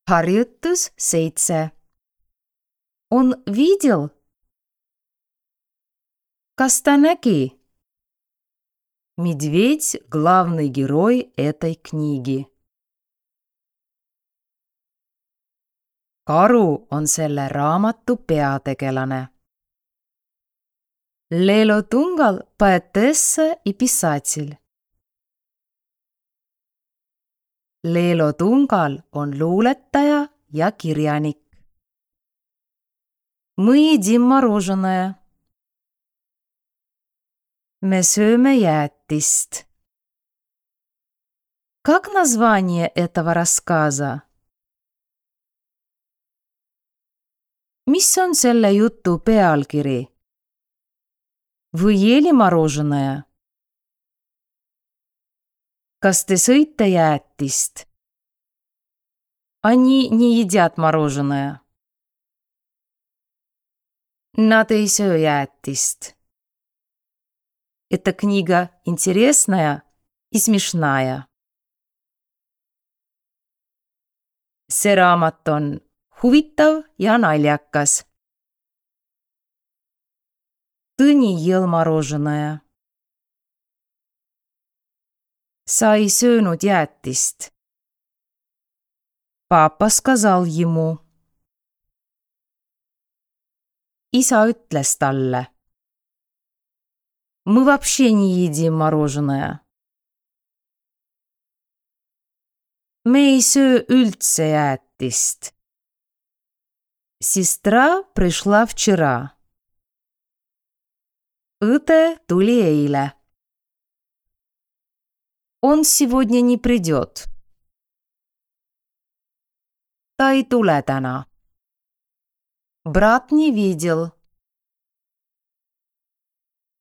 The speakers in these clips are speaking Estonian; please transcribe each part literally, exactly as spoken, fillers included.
Harjutus seitse. Он видел? Kas ta nägi? Медведь – главный герой этой книги. Karu on selle raamatu peategelane. Lelo Tungal – поэтесса и писатель. Lelo Tungal on luuletaja ja kirjanik. Мы едим мороженое. Me sööme jäätist. Как название этого рассказа? Mis on selle jutu pealkiri? Вы ели мороженое? Kas te sõite jäätist? Они не едят мороженое. Nad ei söö jäätist. Эта книга интересная и смешная. See raamat on huvitav ja naljakas. Tõni ел мороженое. Sa ei söönud jäätist. Papa сказал ему. Isa ütles talle. Мы вообще не едим мороженое. Me ei söö üldse jäätist. Сестра пришла вчера. Õde tuli eile. Он сегодня не придет. Ta ei tule täna. Brat не видел.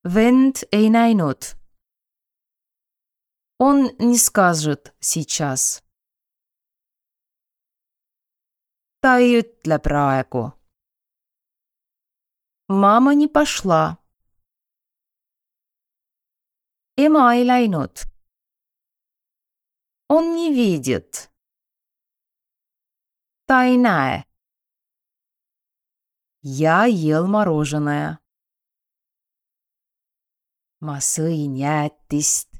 Vend ei näinud. Он не скажет сейчас. Ta ei ütle praegu. Mama не пошла. Ema ei läinud. Он не видит. Ta ei näe. Я ел мороженое. Ma sõin jäätist.